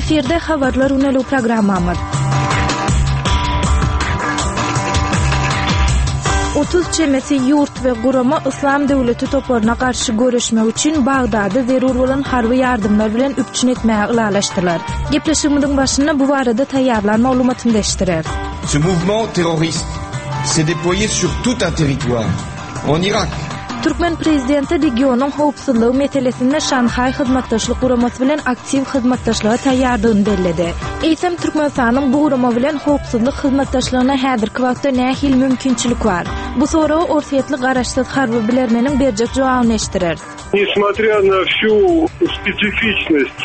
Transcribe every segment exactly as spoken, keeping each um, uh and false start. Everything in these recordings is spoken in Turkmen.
Efirde Habarlar güneligi programmamyz. Otuz çemesi ýurt we gurama Yslam döwleti toparyna garşy göreşmek üçin Bagdady zerur bolan harby ýardamlar bilen üpjün etmäge ylalaşdylar. Gepleşigimiziň başynda bu barada taýýarlan maglumatymyzy eşitdireris. Ce mouvement terroriste s'est déployé sur tout un territoire, en Irak, Türkmen prezidenti regionyň howpsuzlygy meselesinde Şanhaý Hyzmatdaşlyk Guramasy bilen aktiw hyzmatdaşlyga taýýardygyny belledi. Eýsem, Türkmenistanyň bu gurama bilen howpsuzlyk hyzmatdaşlygyna häzirki wagtda nähili mümkinçilik bar? Bu soraga orsýetli garaşsyz harby bilermeniň berjek jogabyny eşitdireris. Несмотря на всю специфичность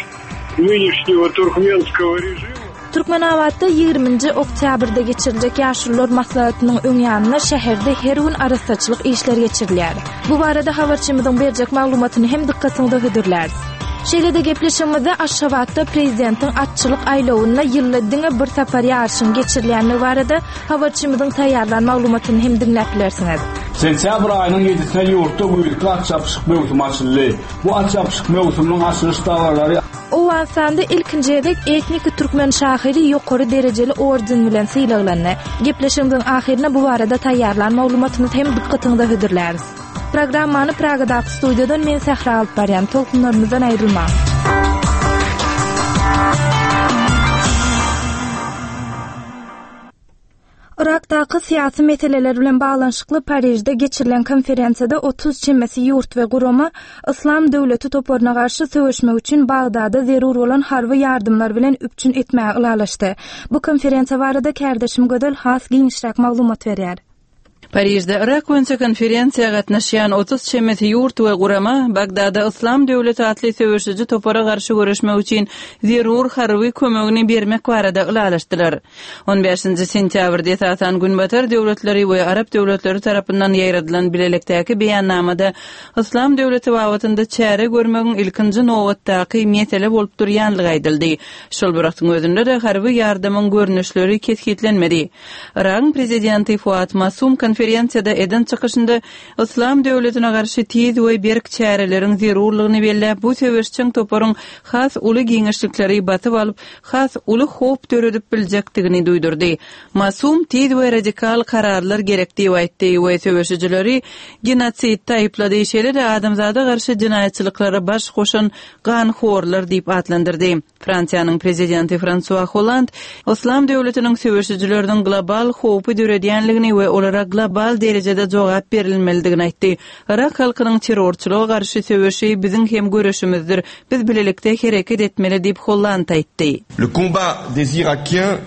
нынешнего туркменского режима, Türkmenabatda ýigriminji oktýabrda geçiriljek Ýaşulular maslahatynyň öň ýanynda şäherde her gün arassaçylyk işleri geçirilýär. Bu barada habarçymyzyň berjek maglumatyny hem dykgatyňyza hödürläris. Şeýle-de gepleşigimizde Aşgabatda prezidentiň atçylyk aýlawynda ýylda diňe bir sapar ýaryşyň geçirilýändigi barada habarçymyzyň taýýarlan maglumatyny hem diňläp bilersiňiz. Sentýabr aýynyň ýedisine ýurtda güýzki at çapyşyk möwsümi açyldy. Bu at çapyşyk möwsüminiň açylyş dabaralary Owganystanda ilkinji gezek etniki türkmen şahyry ýokary derejeli orden bilen sylaglandy. Gepleşigimiziň ahyrynda bu barada taýýarlan maglumatymyzy hem dykgatyňyza hödürläris. Programmany Pragadaky studiýadan men Sähra alyp barýan. Tolkunlarymyzdan aýrylmaň. Yrakdaky syýasy meseleler bilen baglanyşykly Parižde geçirilen konferensiýada otuz çemesi ýurt we gurama Yslam döwleti toparyna garşy söweşmek üçin Bagdada zerur bolan harby ýardamlar bilen üpjün etmäge ylalaşdy. Bu konferensiýa barada kärdeşim Gözel has giňişräk maglumat berýär. Parižde Yrak boýunça konferensiýa gatnaşýan otuz çemesi ýurt we gurama Bagdada Yslam döwleti atly söweşiji topara garşy göreşmek üçin zerur harby kömegini bermek barada ylalaşdylar. On bäşinji sentýabrda esasan Günbatar döwletleri we Arap döwletleri tarapyndan ýaýradylan bilelikdäki beýannamada Yslam döwleti babatynda çäre görmegiň ilkinji nobatdaky mesele bolup durýanlygy aýdyldy. Şol bir wagtyň özünde-de harby ýardamyň görnüşleri kesgitlenmedi. Yragyň prezidenti Fuat Masum konferensiýada eden çykyşynda Yslam döwletine garşy tiz we berk çäreleriň zerurlygyny belläp, bu söweşjeň toparyň has uly giňişlikleri basyp alyp, has uly howp döredip biljekdigini duýdurdy. Masum tiz we radikal kararlar gerek diýip aýtdy we söweşijileri genosidde aýyplady, şeýle-de adamzada garşy jenaýatçylyklara baş goşan ganhorlar diýip atlandyrdy. Fransiýanyň prezidenti Fransua Holland Yslam döwletiniň söweşijileriniň global howpy döredýänligini we olara global derejede jogap berilmelidigini aýtdy. Yrak halkynyň terrorçylyga garşy söweşi biziň hem göreşimizdir. Biz bilelikde hereket etmeli diýip Holland aýtdy. Le combat des Irakiens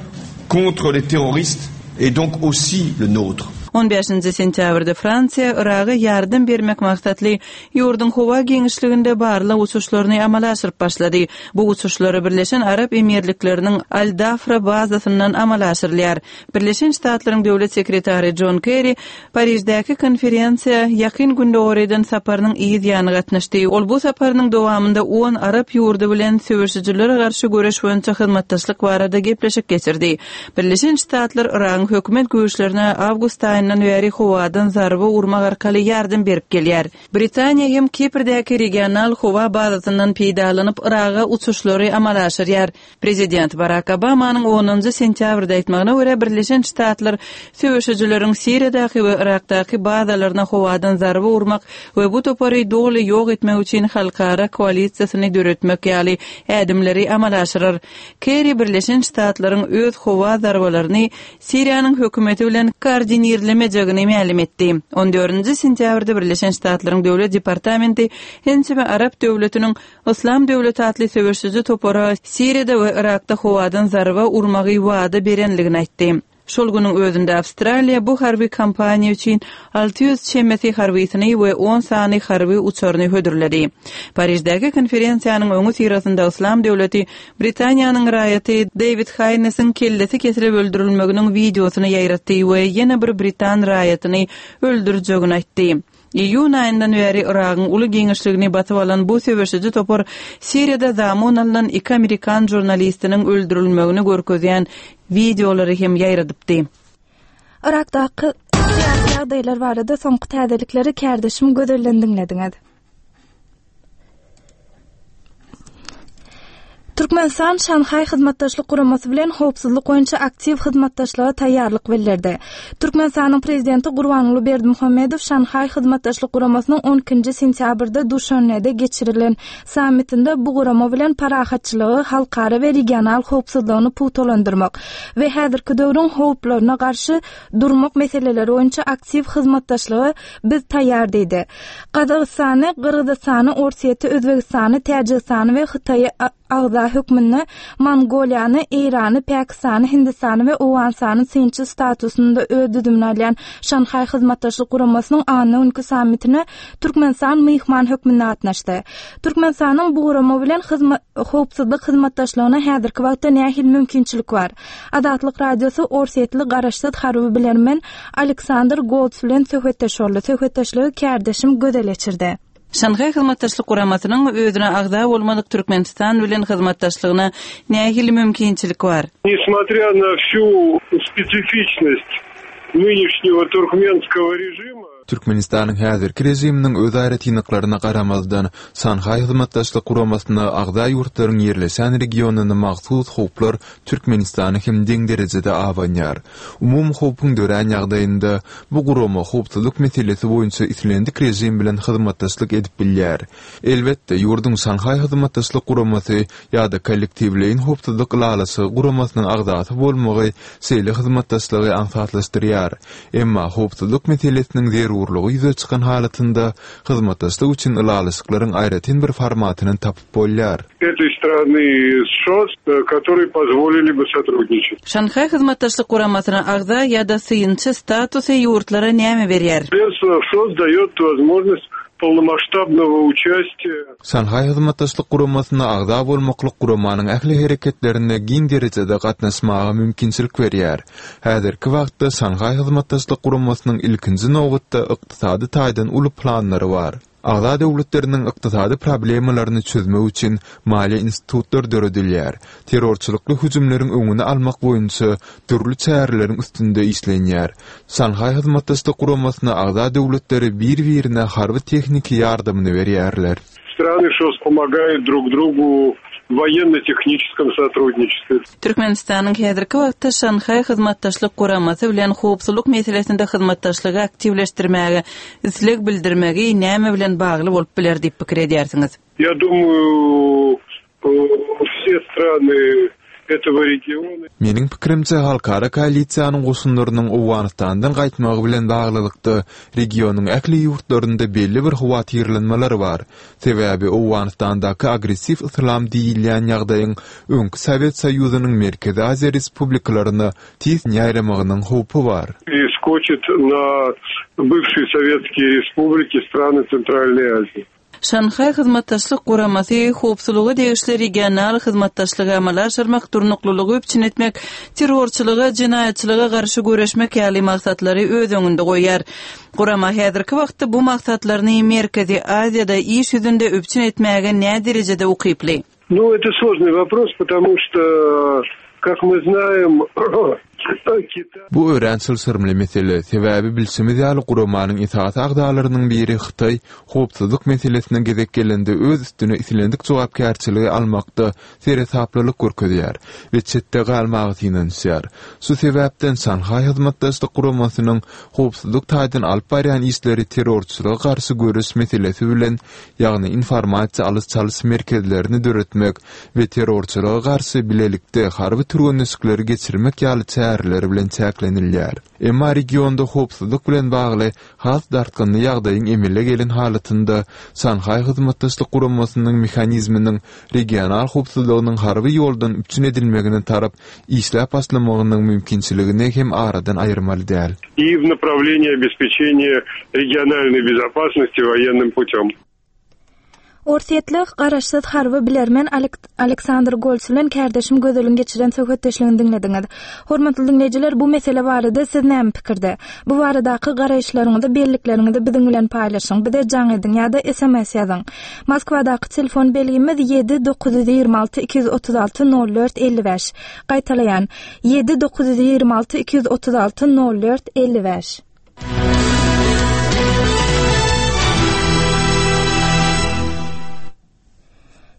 contre les terroristes est donc aussi le nôtre. On bäşinji sentýabrda Fransiýa Yraga ýardam bermek maksatly ýurduň howa giňişliginde barlag uçuşlaryny amala aşyryp başlady. Bu uçuşlary Birleşen Arap Emirlikleriniň Al-Dafra bazasyndan amala aşyrylýar. Birleşen Ştatlaryň döwlet sekretary Jon Kerri Pariždäki konferensiýa Ýakyn Gündogar eden saparynyň yz ýany gatnaşdy. Ol bu saparynyň dowamynda on arap ýurdy bilen söweşijilere garşy göreş boýunça hyzmatdaşlyk barada gepleşik geçirdi. Birleşen Ştatlar Yragyň hökümet güýçlerine awgust aýyndan bäri howadan zarba urmak arkaly ýardam berip gelýär. Britaniýa hem Kiprdäki regional howa bazasyndan peýdalanyp Yraga uçuşlary amala aşyrýar. Prezident Barak Obamanyň onunjy sentýabrda aýtmagyna görä, Birleşen Ştatlar söweşijileriň Siriýadaky we Yrakdaky bazalaryna howadan zarba urmak we bu topary doly ýok etmek üçin halkara koalisiýasyny döretmek ýaly ädimleri amala aşyrar. Kerri Birleşen Ştatlaryň öz howa zarbalaryny Siriýanyň hökümeti bilen koordinirlemejegini mälim etdi. On dördünji sentýabrda Birleşen Ştatlaryň Döwlet departamenti ençeme arap döwletiniň Yslam döwleti atly söweşiji topara Siriýada we Yrakda howadan zarba urmagy wada berenligini aýtdy. Şol günüň özünde Awstraliýa bu harby kampaniýa üçin alty ýüz çemesi harbysyny we on sany harby uçaryny hödürledi. Pariždäki konferensiýanyň öňüsyrasynda Yslam döwleti Britaniýanyň raýaty Dewid Haýnesiň kellesi kesilip öldürilmeginiň wideosyny ýaýratdy we ýene bir britan raýatyny öldürjegini aýtdy. Iýun aýyndan bäri Yragyň uly giňişligini basyp alan bu söweşiji topar Siriýada zamun alnan iki amerikan žurnalistiniň öldürilmegini görkezýän wideolary hem ýaýradypdy. Yrakdaky syýasy ýagdaýlar barada soňky täzelikleri kärdeşim Gözelden diňlediňiz. Türkmenistan Şanhaý Hyzmatdaşlyk Guramasy bilen howpsuzlyk boýunça aktiw hyzmatdaşlyga taýýarlyk bildirdi. Türkmenistanyň Prezidenti Gurbanguly Berdimuhamedow Şanhaý Hyzmatdaşlyk Guramasynyň on ikinji sentýabrda Duşanbede geçirilen sammitinde bu gurama bilen parahatçylygy, halkara we regional howpsuzlygyny pugtalandyrmak we häzirki döwrüň howplaryna garşy durmak meseleleri boýunça aktiw hyzmatdaşlyga biz taýýar diýdi. Gazagystany, Gyrgyzystany, Orsýeti, Özbegistany, Täjigistany we Hytaýy agza hökmünde Mongoliýany, Eýrany, Pakistany, Hindistany we Owganystany synçy statusynda öz düzümine alýan Şanhaý Hyzmatdaşlyk Guramasynyň anna günki sammitine Türkmenistan myhman hökmünde gatnaşdy. Türkmenistanyň bu gurama bilen howpsuzlyk hyzmatdaşlygyna häzirki wagtda nähili mümkinçilik bar? Azatlyk Radiosy Orsýetli garaşsyz harby bilermen Aleksandr Golts bilen söhbetdeş boldy. Söhbetdeşligi kärdeşim Gözel geçirdi. Şanhaý Hyzmatdaşlyk Guramasynyň özüne agza bolmadyk Türkmenistan bilen hyzmatdaşlygyna nähili mümkinçilik bar? Несмотря на всю специфичность нынешнего туркменского режима, Türkmenistanyň häzirki režiminiň öz aýratynlyklaryna garamazdan, Şanhaý Hyzmatdaşlyk Guramasyna agza ýurtlaryň ýerleşen regionyna mahsus howplar Türkmenistany hem deň derejede abanýar. Umumy howpuň dörän ýagdaýynda bu gurama howpsuzlyk meselesi boýunça islendik režim bilen hyzmatdaşlyk edip bilýär. Elbetde, ýurduň Şanhaý Hyzmatdaşlyk Guramasy ýa-da kollektiwleýin howpsuzlyk ylalaşygy guramasynyň agzasy bolmagy şeýle hyzmatdaşlygy aňsatlaşdyrýar. Emma howpsuzlyk meselesiniň zerurlygy ýüze çykan halatynda hyzmatdaşlyk üçin ylalaşyklaryň aýratyn bir formatyny tapyp bolýar. Этой страны ШОС, которые позволили бы сотрудничать. Şanhaý Hyzmatdaşlyk Guramasyna agza ýa-da synçy statusy ýurtlara näme berýär? Членство в ШОС дает возможность полномасштабного участия. Şanhaý Hyzmatdaşlyk Guramasyna agza bolmaklyk guramanyň ähli hereketlerine giň derejede gatnaşmaga mümkinçilik berýär. Häzirki wagtda Şanhaý Hyzmatdaşlyk Guramasynyň ilkinji nobatda ykdysady taýdan uly planlary bar. Agza döwletleriniň ykdysady problemalaryny çözmek üçin maliýe institutlar döredilýär. Terrorçylykly hüjümleriň öňüni almak boýunça dürli çäreleriň üstünde işlenýär. Şanhaý Hyzmatdaşlyk Guramasyna agza döwletleri bir-birine harby tehniki ýardamyny berýärler. Страны ШОС помогают друг другу в военно-техническом сотрудничестве. Türkmenistanyň häzirki wagtda Şanhaý Hyzmatdaşlyk Guramasy bilen howpsuzlyk meselesinde hyzmatdaşlygy aktiwleşdirmäge isleg bildirmegi näme bilen bagly bolup biler diýip pikir edýärsiňiz? Я думаю, все страны этого региона. Meniň pikirimçe halkara koalisiýanyň goşunlarynyň Owganystandan gaýtmagy bilen baglylykda regionyň ähli ýurtlarynda belli bir howatyrlanmalar bar. Sebäbi Owganystandaky agressiw yslam diýilýän ýagdaýyň öňki Sowet Soýuzynyň Merkezi Aziýa respublikalaryna tiz ýaýramagynyň howpy bar. И скочит на бывшие советские республики страны Центральной Азии. Şanhaý Hyzmatdaşlyk Guramasy howpsuzlyga degişli regional hyzmatdaşlygy amala aşyrmak, durnuklylygy üpjün etmek, terrorçylyga, jenaýatçylyga garşy göreşmek ýaly maksatlary öz öňünde goýýar. Gurama häzirki wagtda bu maksatlaryny Merkezi Aziýada iş ýüzünde üpjün etmäge nä derejede ukyply? Ну, это сложный вопрос, потому что, как мы знаем, Китай Bu örän çylşyrymly mesele, sebäbi bilşimiz ýaly guramanyň esasy agzalarynyň biri Hytaý howpsuzlyk meselesine gezek gelende öz üstüne islendik jogapkärçiligi almakda seresaplylyk görkezýär we çetde galmaga synanyşýar. Şu sebäpden Şanhaý Hyzmatdaşlyk Guramasynyň howpsuzlyk taýdan alyp barýan işleri terrorçylyga garşy göreş meselesi bilen, ýagny informasiýa alyş-çalyş merkezlerini döretmek we terrorçylyga garşy bilelikde harby türgenleşikleri geçirmek ýaly çäreler bilen çäklenilýär. Emma regionda howpsuzlyk bilen bagly has dartgynly ýagdaýyň emele gelen halatynda Şanhaý Hyzmatdaşlyk Guramasynyň mehanizminiň regional howpsuzlygynyň harby ýoldan üpjün edilmegine tarap işläp başlamagynyň mümkinçiligini hem aradan aýyrmaly däl. И в направлении обеспечения региональной безопасности военным путем. Orsýetli garaşsyz harby bilermen Aleksandr Golts bilen kärdeşim Gözeliň geçiren söhbetdeşligini diňlediňiz. Hormatly diňleýjiler, bu mesele barada siz näme pikirde? Bu baradaky garaýyşlaryňyzy, bellikleriňizi biziň bilen paýlaşyň. Bize jaň ediň ýa-da S M S ýazyň. Moskwadaky telefon belgimiz ýedi dokuz ýüz ýigrimi alty iki ýüz otuz alty nol dört elli bäş. Gaýtalaýan ýedi dokuz ýüz ýigrimi alty iki ýüz otuz alty nol dört elli bäş.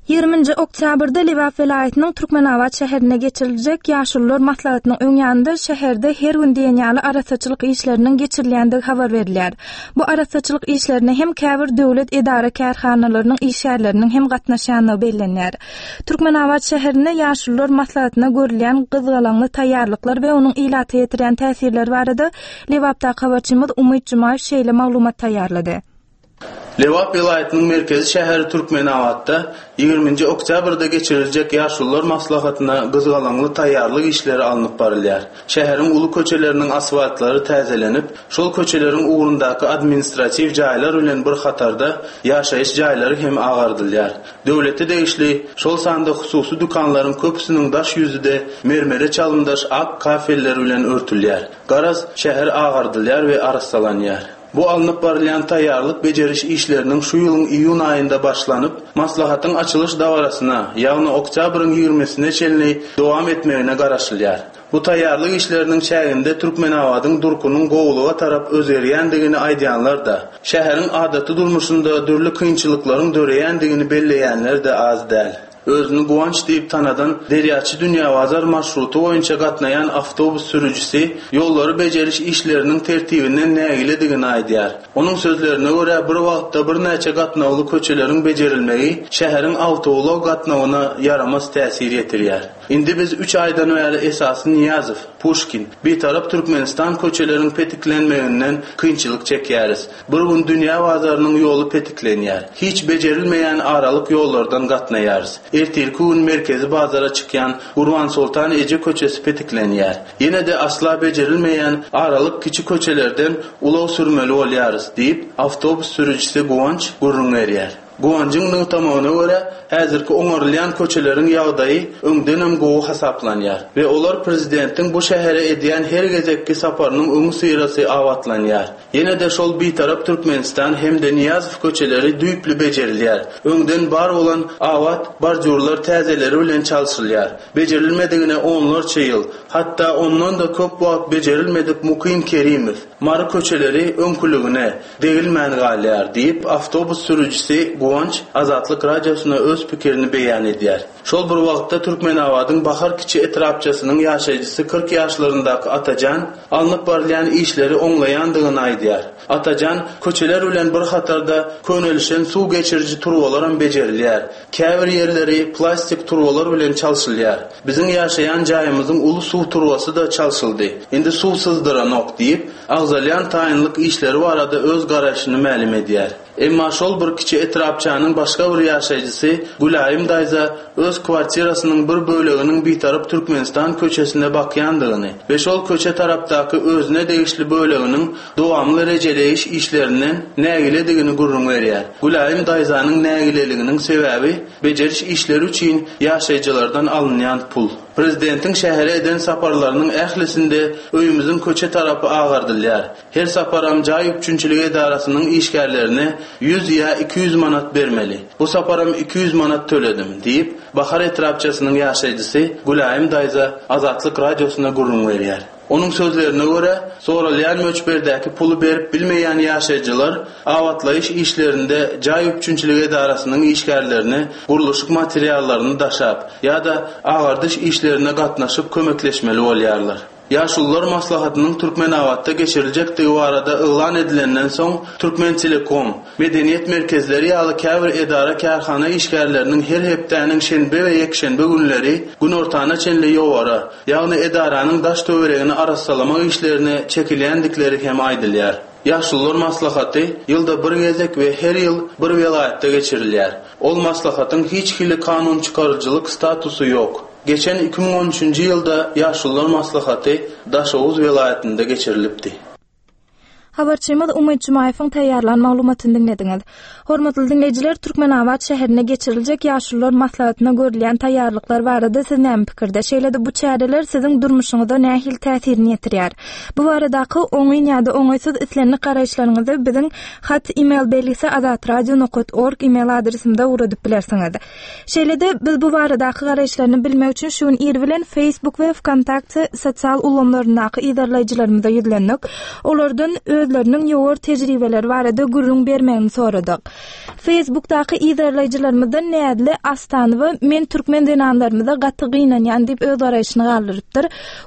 Ýigrimi Ýigriminji oktýabrda Lebap welaýatynyň Türkmenabat şäherinde geçiriljek Ýaşulular maslahatynyň öň ýanynda şäherde her gün diýen ýaly arassaçylyk işleriniň geçirilýändigi habar berilýär. Bu arassaçylyk işlerine hem käbir döwlet edara-kärhanalarynyň işgärleriniň hem gatnaşýandygy bellenýär. Türkmenabat şäherinde Ýaşulular maslahatyna görülýän gyzgalaňly taýýarlyklar we onuň ilata ýetirýän täsirleri barada Lebapdaky habarçymyz Umyt Jumaýew şeýle maglumat taýýarlady. Lebap welaýatynyň merkezi şäheri Türkmenabatda ýigriminji oktýabrda geçiriljek Ýaşulular maslahatyna gyzgalaňly taýýarlyk işleri alnyp barylýar. Şäheriň uly köçeleriniň asfaltlary täzelenip, şol köçeleriň ugrundaky administratiw jaýlar bilen bir hatarda ýaşaýyş jaýlary hem agardylýar. Döwlete degişli, şol sanda hususy dükanlaryň köpüsiniň daş ýüzi-de mermere çalymdaş ak kafeller bilen örtülýär. Garaz, şäher agardylýar we arassalanýar. Bu alnyp barylýan taýýarlyk bejeriş işleriniň şu ýylyň iýun aýynda başlanyp, maslahatyň açylyş dabarasyna, ýagny oktýabryň ýigrimisine çenli dowam etmegine garaşylýar. Bu taýýarlyk işleriniň çäginde Türkmenabadyň durkunyň gowulyga tarap özgerýändigini aýdýanlar-da, şäheriň adaty durmuşynda dürli kynçylyklaryň döreýändigini belleýänler-de az däl. Özüni Guwanç diýip tanadan Derýaçy Dünýäbazar marşruty boýunça gatnaýan awtobus sürüjisi ýollary bejeriş işleriniň tertibinden nägiledigini aýdýar. Onuň sözlerine görä, bir wagtda birnäçe gatnawly köçeleriň bejerilmegi şäheriň awtoulag gatnawyna ýaramaz täsir ýetirýär. Indi biz üç aýdan bäri esasy Nyýazow, Puşkin, Bitarap Türkmenistan köçeleriň petiklenmeginden kynçylyk çekýäris. Bir gün Dünýä bazarynyň ýoly petiklenýär. Hiç bejerilmeýän aralyk ýollardan gatnaýarys. Ertirki gün merkezi bazara çykýan Gurbansoltan eje köçesi petiklenýär. Ýene-de asla bejerilmeýän aralyk kiçi köçelerden ulag sürmeli bolýarys, diýip, awtobus sürüjisi Guwanç gürrüň berýär. Guwanjyň nygtamagyna görä, häzirki oňarylýan köçeleriň ýagdaýy öňdenem gowy hasaplanýar we olar prezidentiň bu şähere edýän her gezekki saparynyň öňüsyrasy abatlanýar. Ýene-de şol Bitarap Türkmenistan hem-de Nyýazow köçeleri düýpli bejerilýär. Öňden bar bolan abat bordýurlar täzeleri bilen çalşylýar. Bejerilmedigine onlarça ýyl, hatda ondan-da köp wagt bejerilmedik Mukym Kerimow, Mary köçeleri öňküligine, degilmän galýar diýip, awtobus sürüjisi Guwanç Azatlyk Radiosyna öz pikirini beýan edýär. Şol bir wagtda Türkmenabadyň Bahar kiçi etrapçasynyň ýaşaýjysy kyrk ýaşlaryndaky Atajan alnyp barylýan işleri oňlaýandygyny aýdýar. Atajan, köçeler bilen bir hatarda könelişen suw geçiriji turbalaram bejerilýär. Käbir ýerleri plastik turbalar bilen çalşylýar. Biziň ýaşaýan jaýymyzyň uly suw turbasy-da çalşyldy. Indi suw syzdyranok diýip, agzalýan taýynlyk işleri barada öz garaýşyny mälim edýär. Emma şol bir kiçi etrapçanyň başga bir ýaşaýjysy Gülaýym daýza öz kwartirasynyň bir böleginiň Bitarap Türkmenistan köçesine bakýandygyny we şol köçe tarapdaky özüne degişli böleginiň dowamly rejeleýiş işlerinden nägiledigini gürrüň berýär. Gülaýym daýzanyň nägileliginiň sebäbi bejeriş işleri üçin ýaşaýjylardan alynýan pul. Prezidentiň şähere eden saparlarynyň ählisinde öýümiziň köçe tarapy agardylýar. Her saparam jaý üpjünçiligi edarasynyň işgärlerine ýüz ýa iki ýüz manat bermeli. Bu saparam iki ýüz manat töledim, diýip, Bahar etrapçasynyň ýaşaýjysy Gülaýym daýza Azatlyk Radiosyna gürrüň berýär. Onuň sözlerine görä, soralýan möçberdäki puly berip bilmeýän ýaşaýjylar abatlaýyş işlerinde jaý üpjünçiligi edarasynyň işgärlerine gurluşyk materiallaryny daşap ýa-da agardyş işlerine gatnaşyp kömekleşmeli bolýarlar. Ýaşulular maslahatynyň Türkmenabatda geçiriljekdigi barada yglan edilenden soň, Türkmentelekom, medeniýet merkezleri ýaly käbir edara-kärhana işgärleriniň her hepdäniň şenbe we ýekşenbe günleri günortana çenli ýowara, ýagny edaranyň daş-töweregini arassalamak işlerine çekilýändikleri hem aýdylýar. Ýaşulular maslahaty ýylda bir gezek we her ýyl bir welaýatda geçirilýär. Ol maslahatyň hiç hili kanunçykaryjylyk statusy ýok. Geçen iki müň on üçünji ýylda Ýaşulular maslahaty Daşoguz welaýatynda geçirilipdi. Habarçymyz Umyt Jumaýewiň taýýarlan maglumatyny diňlediňiz. Hormatly diňleýjiler, Türkmenabat şäherinde geçiriljek Ýaşulular maslahatyna görülýän taýýarlyklar barada siz näme pikirde? Şeýle-de bu çäreler siziň durmuşyňyza nähili täsirini ýetirýär? Bu baradaky oňyn ýa-da oňaýsyz islendik garaýyşlaryňyzy biziň hat e-mail belgisi azatradio nokta org e-mail adresimize ugradyp bilersiňiz. Şeýle-de biz bu baradaky garaýyşlaryny bilmek üçin şu gün ir bilen Facebook we Vkontakte sosial ulgamlaryndaky yzarlaýjylarymyza ýüzlendik. Olardan öz özleriniň ýowar tejribeleri barada gürrüň bermegini soradyk. Facebookdaky yzarlaýjylarymyzdan Näzli Astanowa men türkmen zenanlarymyza gaty gynanýan diýip öz garaýşyny galdyrypdyr.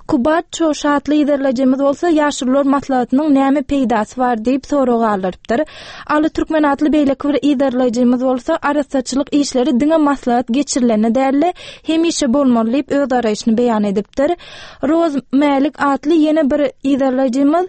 Kubat Çoşatly yzarlaýjymyz bolsa ýaşulular maslahatynyň näme peýdasy bar diýip sorag galdyrypdyr. Aly Türkmen atly beýleki bir yzarlaýjymyz bolsa arassaçylyk işleri diňe maslahat geçirilende däl, hemişe bolmaly diýip öz garaýşyny beýan edipdir. Roz Mälik atly ýene bir yzarlaýjymyz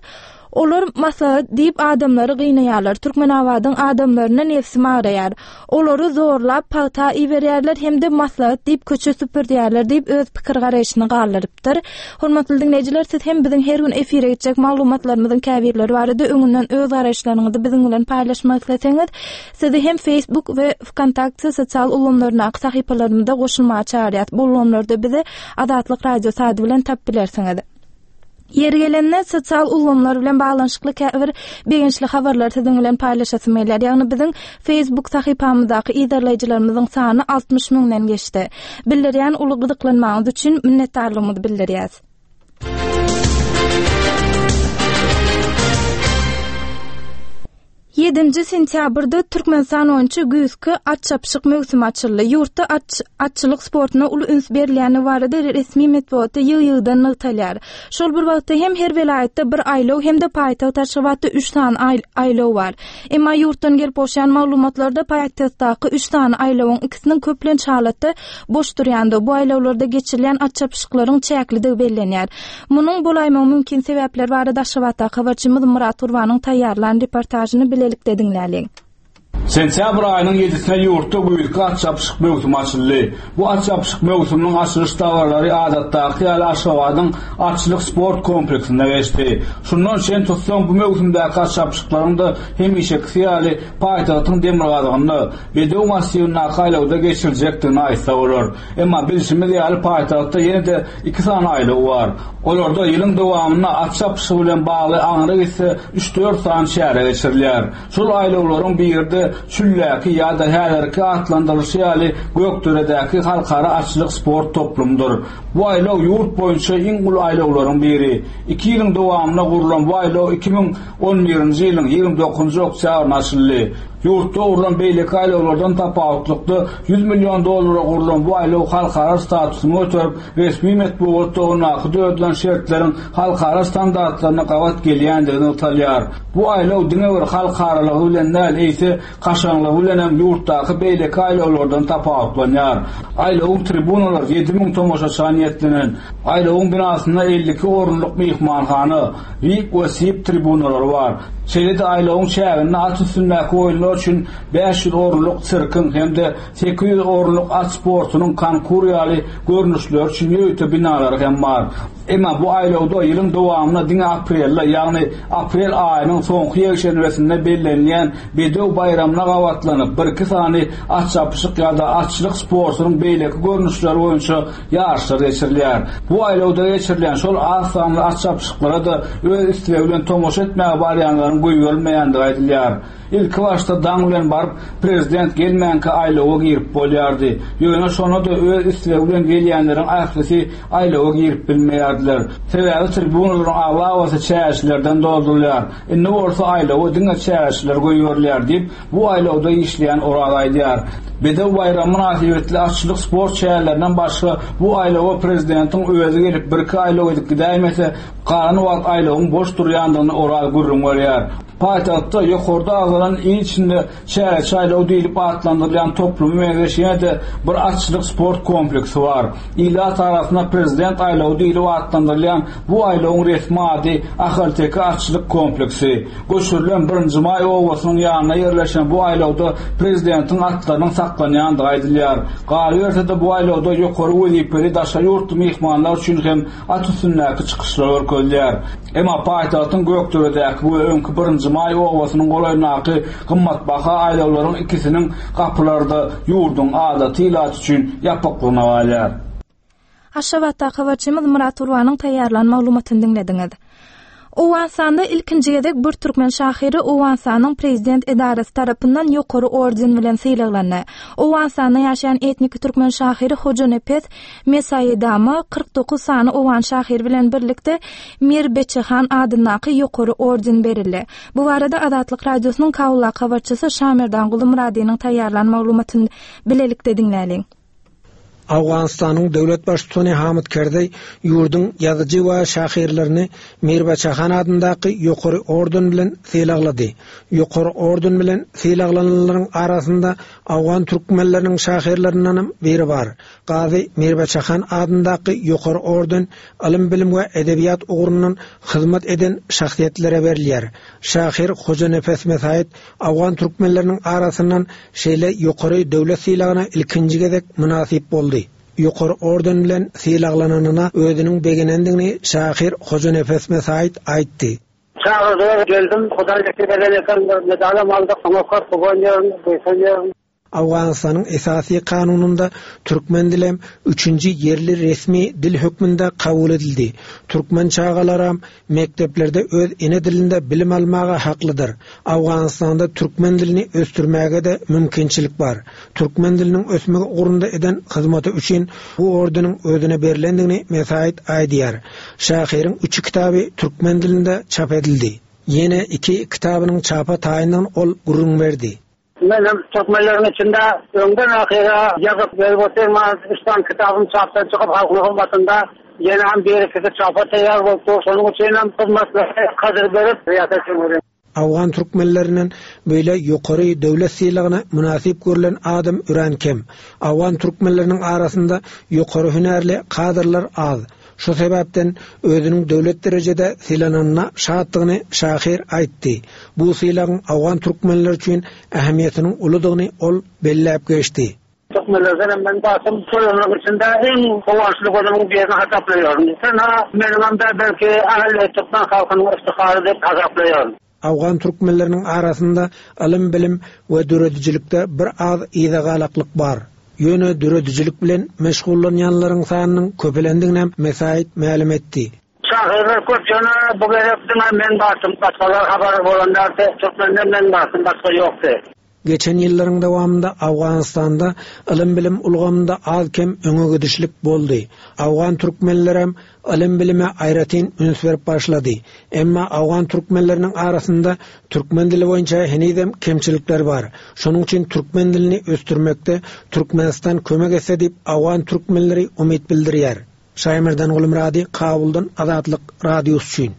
olar maslahat diýip adamlary gynaýarlar. Türkmenabadyň adamlaryna nefsim araýar. Olary zorlap pagta iberýärler hem-de maslahat diýip köçe süpürýärler diýip öz pikir garaýşyny galdyrypdyr. Hormatly diňleýjiler, siz hem biziň her gün efire gitjek maglumatlarymyzyň käbirleri barada öňünden öz garaýyşlaryňyzy biziň bilen paýlaşmak isleseňiz, sizi hem Facebook we VKontakte sosial ulgamlaryndaky sahypalarymyzda goşulmaga çagyrýarys. Bu ulgamlarda bizi Azatlyk Radiosy ady bilen tapyp bilersiňiz. Ýeri gelende sosial ulgamlar bilen baglanyşykly käbir begençli habarlar siziň bilen paýlaşasym gelýär. Ýagny biziň Facebook sahypamyzdaky yzarlaýjylarymyzyň sany altmyş müňden geçdi. Bildirýän uly gyzyklanmaňyz üçin minnetdarlygymyzy bildirýäs. Ýedinji sentýabrda Türkmenistan boýunça güýzki at çapyşyk möwsümi açyldy. Ýurtda at, atçylyk sportuna uly üns berilýäni barada resmi metbugatda ýygy-ýygydan nygtalýar. Şol bir wagtda hem her welaýatda bir aýlaw hem-de paýtagt Aşgabatda üç sany aýlaw bar. Emma ýurtdan gelip gowşan maglumatlarda paýtagtdaky üç sany aýlawyň ikisiniň köplenç halatda boş durýandygy, bu aýlawlarda geçirilýän at çapyşyklaryň çäklidigi bellenýär. Munuň bolaýmagy mümkin sebäpler barada Aşgabatdaky habarçymyz Murat Gurbanyň taýýarlan reportažyny bilelikde diňläliň. Sentýabr aýynyň ýedisine ýurtda güýzki at çapyşyk möwsümi açyldy. Bu at çapyşyk möwsüminiň açylyş dabaralary adatdaky ýaly Aşgabadyň atçylyk sport kompleksinde geçdi. Şundan şen tutsaň bu möwsümdäki at çapyşyklaryň da hemişekisi ýaly paýtagtyň demirgazygynda Bedew massiwindäki aýlawda geçiriljekdigini aýtsa bolar. Emma bilşimiz ýaly paýtagtda ýene-de iki sany aýlaw bar. Olarda ýylyň dowamynda at çapyşygy bilen bagly aňry gitse üç dört sany çäre geçirilýär. Şol aýlawlaryň biri-de Çülläki ýa-da häzirki atlandyrylyşy ýaly Gökderedäki halkara atçylyk sport toplumydyr. Bu aýlaw ýurt boýunça iň uly aýlawlaryň biri. Iki ýylyň dowamynda gurlan bu aýlaw iki müň on birinji ýylyň ýigrimi dokuzynjy oktýabrynda açyldy. Ýurtda gurlan beýleki aýlawlardan tapawutlykda ýüz million dollara gurlan bu aýlaw halkara statusyny göterip, resmi metbugatda ondaky döredilen şertleriň halkara standartlaryna gabat gelýändigini nygtalýar. Bu aýlaw diňe bir halkaralygy bilen däl, eýse kaşaňlygy bilen hem ýurtdaky beýleki aýlawlardan tapawutlanýar. Aýlawyň tribunalary ýedi müň tomaşaça niýetlenen. Aýlawyň binasynda elli iki orunlyk myhmanhana, V I P we S I P tribunalary bar. Şeýle-de aýlawyň çäginde at üstündäki oýunlar üçin bäş ýüz orunlyk sirkiň hem-de sekiz ýüz orunlyk at sportunyň konkur ýaly görnüşleri üçin ýörite binalary hem bar. Emma bu aýlawda ýylyň dowamynda diňe aprelde, ýagny aprel aýynyň soňky ýekşenbesinde bellenilýän Bedew baýramyna gabatlanyp, bir iki sany at çapyşyk ýa-da atçylyk sportunyň beýleki görnüşleri boýunça ýaryşlar geçirilýär. Bu aýlawda geçirilýän şol az sanly at çapyşyklara da öz islegi bilen tomaşa etmäge barýanlaryň goýberilmeýändigi aýdylýar. Ilki başda daň bilen baryp, prezident gelmänkä aýlawa girip bolýardy. Ýöne şona da öz islegi bilen gelýänleriň ählisi aýlawa girip bilmeýärdiler. Sebäbi tribunalaryň aglabasy çäşilerden doldurylýar. Indi bolsa aýlawa diňe çäşiler goýberilýär diýip, bu aýlawda işleýän Oraz aýdýar. Bedew baýramy mynasybetli atçylyk sport çärelerinden başga bu aýlawa prezidentiň özi gelip bir iki aýlaw edip gidäýmese, galan wagt aýlawyň boş durýandygyny Oraz gürrüň berýär. Paýtagtda ýokarda agzalan il içinde çäreçi aýlaw diýlip atlandyrylýan toplumy meňzeş ýene-de bir atçylyk sport kompleksi bar. Ilat arasynda prezident aýlawy diýlip atlandyrylýan bu aýlawyň resmi ady Ahalteke atçylyk kompleksi. Göçürilen birinji maý obasynyň ýanynda ýerleşen bu aýlawda prezidentiň atlarynyň saklanýandygy aýdylýar. Galyberse-de bu aýlawda ýokary wezipeli daşary ýurtly myhmanlar üçin hem at üstündäki çykyşlar görkezilýär. Emma paýtagtyň Gökderedäki we öňki birinji maý obasynyň golaýyndaky gymmatbaha aýlawlaryň ikisiniň gapylary-da ýurduň adaty ilaty üçin ýapyklygyna galýar. Aşgabatdaky habarçymyz Murat Gurbanyň taýýarlan maglumatyny diňlediňiz. Owganystanda ilkinji gezek bir türkmen şahyry Owganystanyň prezident edarasy tarapyndan ýokary orden bilen sylaglandy. Owganystanda ýaşaýan etnik türkmen şahyry Hojanepes Mesaýedama kyrk dokuz sany owgan şahyry bilen birlikde Mir Beçehan adyndaky ýokary orden berildi. Bu barada Azatlyk Radiosynyň Kabuldaky habarçysy Şamerdan Gulumradynyň taýýarlan maglumatyny bilelikde diňläliň. Owganystanyň döwlet baştutany Hamid Kerzeý ýurduň ýazyjy we şahyrlaryny Mir Beçehan adyndaky ýokary orden bilen sylaglady. Ýokary orden bilen sylaglananlaryň arasynda Owgan türkmenleriniň şahyrlaryndan biri bar. Gazy Mir Beçehan adyndaky ýokary orden ylym-bilim we edebiýat ugrundan hyzmat eden şahsyýetlere berilýär. Şahyr Hojanepes Mesaýed Owgan türkmenleriniň arasyndan şeýle ýokary döwlet sylagyna ilkinji gezek mynasyp boldy. Ýokary orden bilen sylaglananyna özüniň begenendigini şahyr Hojanepes Mesaýed aýtdy. Çağırdılar, geldim, Hudaý nesip eden eken bir medalam aldyk, oňa köp guwanýaryn, buýsanýaryn. Owganystanyň esasy kanunynda türkmen dilem üçünji ýerli resmi dil hökmünde kabul edildi. Türkmen çagalaram mekdeplerde öz ene dilinde bilim almaga haklydyr. Owganystanda türkmen dilini ösdürmäge de mümkinçilik bar. Türkmen diliniň ösmegi ugrunda eden hyzmaty üçin bu ordeniň özüne berilendigini Mesaýed aýdýar. Şahyryň üç kitaby türkmen dilinde çap edildi. Ýene iki kitabynyň çapa taýyndygyny ol gürrüň berdi. Men hem türkmenlerin içinde öňden ahyra ýazyp berip otyrman, üç tane kitabym çapdan çykyp halkyň hyzmatynda ýene hem bir ikisi çapa taýýar bolupdy. Şonuň üçin hem hyzmatlary kadyr berip riýasat etmeli. Owgan türkmenlerinden böyle ýokary döwlet sylagyna mynasyp görülen adam ören kem. Owgan türkmenleriniň arasynda ýokary hünärli kadrlar az. Şu sebäpden özüniň döwlet derejede sylananyna şatdygyny şahyr aýtdy. Bu sylagyň Owgan türkmenler üçin ähmiýetiniň uludygyny ol belläp geçdi. Türkmenlerden hem ben basym şolarlaryň içinde iň guwançly gözümiň birini hasaplaýaryn. Sen ha meniň hem de belki ähli türkmen halkynyň iftihary diýip hasaplaýaryn. Owgan türkmenleriniň arasynda ylym-bilim we döredijilikde bir az yzagalaklyk bar. Ýöne döredijilik bilen meşgullanýanlaryň sanynyň köpelendigini hem Mesaýed mälim etdi. Şahyrlar köp ýöne bu gezek diňe men basym, başgalar habar bolanlar türkmenden men basym, başga ýokdy. Geçen ýyllaryň dowamynda Owganystanda ylym-bilim ulgamynda az kem öňe gidişlik boldy. Owgan türkmenlerem ylym-bilime aýratyn üns berip başlady. Emma Owgan türkmenleriniň arasynda türkmen dili boýunça henizem kemçilikler bar. Şonuň üçin türkmen dilini ösdürmekde Türkmenistan kömek etse diýip Owgan türkmenleri umyt bildirýär. Şaýmerdan Gulmurady, Kabuldan Azatlyk Radiosy üçin.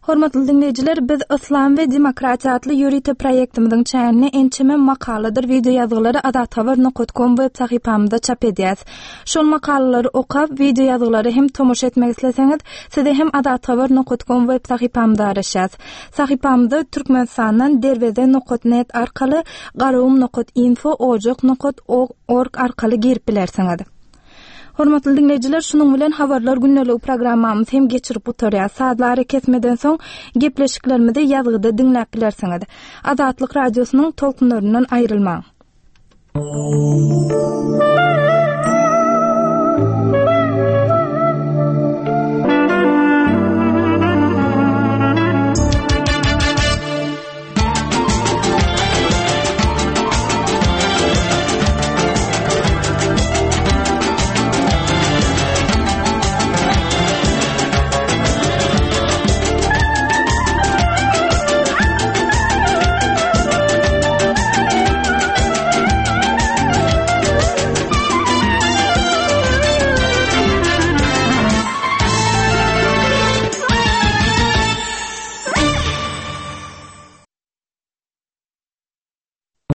Hormatly dinleýjiler, biz Islam we demokratiýa atly ýörite proýektimiziň çäginde ençeme makaladyr video ýazgylary azathabar nokta com web sahypamyzda çap edýäs. Şol makalalary okap, video ýazgylary hem tomaşa etmek isleseňiz, size hem azathabar nokta com web sahypamyzda araşýas. Sahypamyzda Türkmenistandan derweze nokta net arkaly garagum nokta info, ojak nokta org arkaly girip bilersiňiz. Hormatly dinleýjiler, şunuň bilen habarlar gündelik programmamyz hem geçirip gutarýar. Saatlar kesmeden soň gepleşiklerimizi ýazgyda diňläp bilersiňiz. Azatlyk radiosynyň tolkunlaryndan aýrylmaň.